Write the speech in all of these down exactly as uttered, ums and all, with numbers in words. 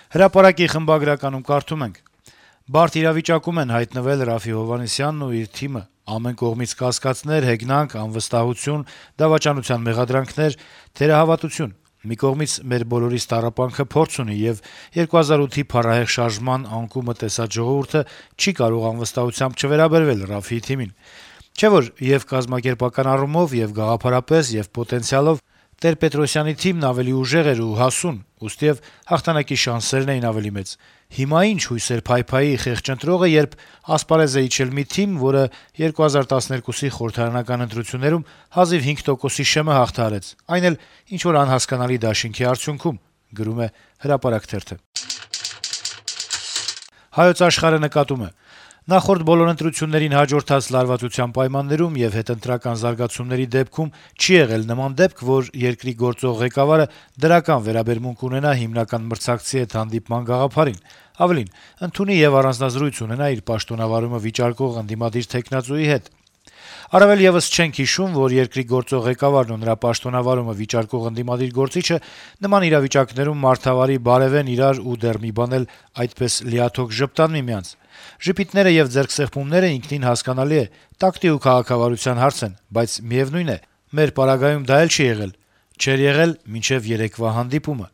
Հրապարակի խմբագրականում կարդում ենք. - «Բարդ իրավիճակում են հայտնվել Րաֆֆի Հովհաննիսյանն ու իր թիմը: Ամեն կողմից կասկածներ, հեգնանք, անվստահություն, դավաճանության մեղադրանքներ, թերահավատություն: Մի կողմից մեր բոլորիս տառապանքը փորձ ունի, եւ երկու հազար ութի փառահեղ շարժման անկումը տեսած ժողովուրդը չի կարող անվստահությամբ չվերաբերվել Րաֆֆիի թիմին: Չէ՞ որ եւ կազմակերպական առումով, եւ գաղափարապես, եւ պոտենցիալով Տեր-Պետրոսյանի թիմն ավելի ուժեղ էր ու հասուն, ուստիեւ հաղթանակի շանսերն էին ավելի մեծ: Հիմա ի՞նչ հույսեր փայփայի խեղճ ընտրողը, երբ ասպարեզ է իջել մի թիմ, որը երկու հազար տասներկուսի խորհրդարանական ընտրություններում հազիվ հինգ տոկոսի շեմը հաղթահարեց, այն էլ ինչ-որ անհասկանալի դաշինքի արդյունքում»: «Հայոց Աշխարհ»-ը նկատում է. - «Նախորդ բոլոր ընտրություններին հաջորդած լարվածության պայմաններում եւ հետընտրական զարգացումների դեպքում չի եղել նման դեպք, որ երկրի գործող ղեկավարը դրական վերաբերմունք ունենա հիմնական մրցակցի հետ հանդիպման գաղափարին, ավելին` ընդունի եւ առանձնազրույց ունենա իր պաշտոնավարումը վիճարկող ընդդիմադիր թեկնածուի հետ: Առավել եւս չենք հիշում, որ երկրի գործող ղեկավարն ու նրա պաշտոնավարումը վիճարկող ընդդիմադիր գործիչը նման իրավիճակներում մարդավարի բարեւեն իրար ու դեռ մի բան էլ այդպես լիաթոք ժպտան միմյանց: Ժպիտները եւ ձեռքսեղմումները ինքնին հասկանալի է, տակտի ու քաղաքավարության հարց են, բայց միեւնույն է, մեր պարագայում դա էլ չի եղել, չէր եղել մինչեւ երեկվա հանդիպումը: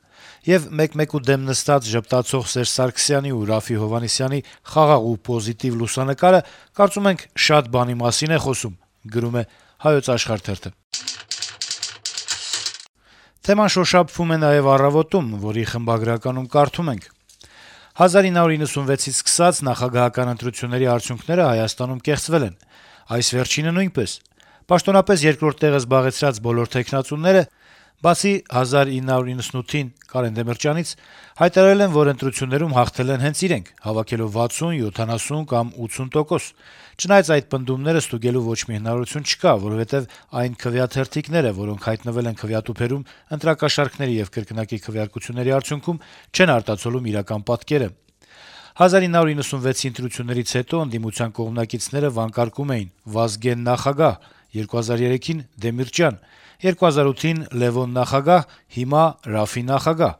Եվ մեկ-մեկու դեմ նստած ժպտացող Սերժ Սարգսյանի ու Րաֆֆի Հովհաննիսյանի խաղաղ ու պոզիտիվ լուսանկարը, կարծում ենք, շատ բանի մասին է խոսում»: Թեման շոշափվում է նաեւ «Առավոտ»-ում, որի խմբագրականում կարդում ենք. - «հազար ինը հարյուր նվեցից սկսած նախագահական ընտրությունների արդյունքները Հայաստանում կեղծվել են: Այս վերջինը նույնպես: Պաշտոնապես երկրորդ տեղը զբաղեցրած բոլոր թեկնածուները, բացի հազար ինը հարյուր իննսունութին Կարեն Դեմիրճյանից, հայտարարել են, որ ընտրություններում հաղթել են հենց իրենք` հավաքելով վաթսուն, յոթանասուն կամ ութսուն տոկոս: Չնայած այդ պնդումները ստուգելու ոչ մի հնարավորություն չկա, որովհետեւ այն քվեաթերթիկները, որոնք հայտնվել են քվեատուփերում ընտրակաշառքների եւ կրկնակի քվեարկությունների արդյունքում, չեն արտացոլում իրական պատկերը: հազար ինը հարյուր իննսունվեցի ընտրություններից հետո ընդդիմության կողմնակիցները վանկարկում էին «Վազգեն նախագահ», երկու հազար երեքին Դեմիրճյան, երկու հազար ութին Լեւոն նախագահ, հիմա Րաֆֆի նախագահ: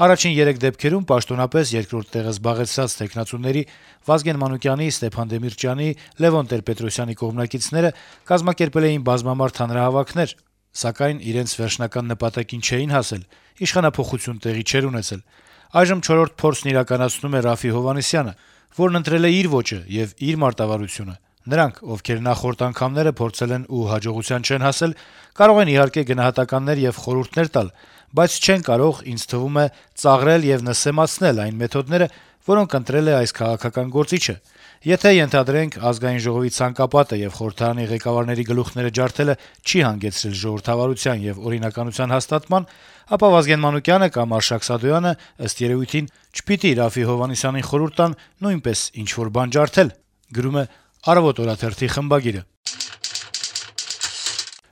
Առաջին երեք դեպքերում պաշտոնապես երկրորդ տեղը զբաղեցրած թեկնածուների` Վազգեն Մանուկյանի, Ստեփան Դեմիրճյանի, Լեւոն Տեր-Պետրոսյանի կողմնակիցները կազմակերպել էին բազմամարդ հանրահավաքներ, սակայն իրենց վերջնական նպատակին չէին հասել, իշխանափոխություն տեղի չէր ունեցել: Այժմ չորրորդ փորձն իրականացնում է Րաֆֆի Հովհաննիսյանը, որն ընտրել է իր ոճը եւ իր մարտավարությունը: Նրանք, ովքեր նախորդ անգամները փորձել են ու հաջողության չեն հասել, կարող են իհարկե գնահատականներ եւ խորհուրդներ տալ, բայց չեն կարող, ինձ թվում է, ծաղրել եւ նսեմացնել այն մեթոդները, որոնք ընտրել է այս քաղաքական գործիչը: Եթե, ենթադրենք, Ազգային ժողովի ցանկապատը եւ խորհրդարանի ղեկավարների գլուխները ջարդելը չի հանգեցրել ժողովրդավարության եւ օրինականության հաստատման, ապա Վազգեն Մանուկյանը կամ Արշակ Սադոյանը, ըստ երեւույթին, չպիտի Րաֆֆի Հովհաննիսյանին խորհուրդ տան նույնպես ինչ-որ բան ջարդել»: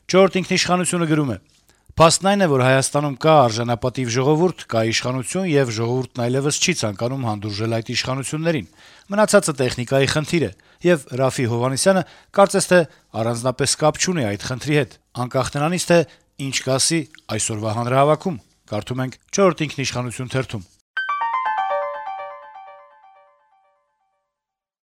«Չորրորդ ինքնիշխանություն»-ը գրում է. - «Փաստն այն է, որ Հայաստանում կա արժանապատիվ ժողովուրդ, կա իշխանություն, եւ ժողովուրդն այլեւս չի ցանկանում հանդուրժել այդ իշխանություններին: Մնացածը տեխնիկայի խնդիր է, եւ Րաֆֆի Հովհաննիսյանը կարծես թե առանձնապես կապ չունի այդ խնդրի հետ, անկախ նրանից, թե ինչ կասի այսօրվա հանրահավաքում»: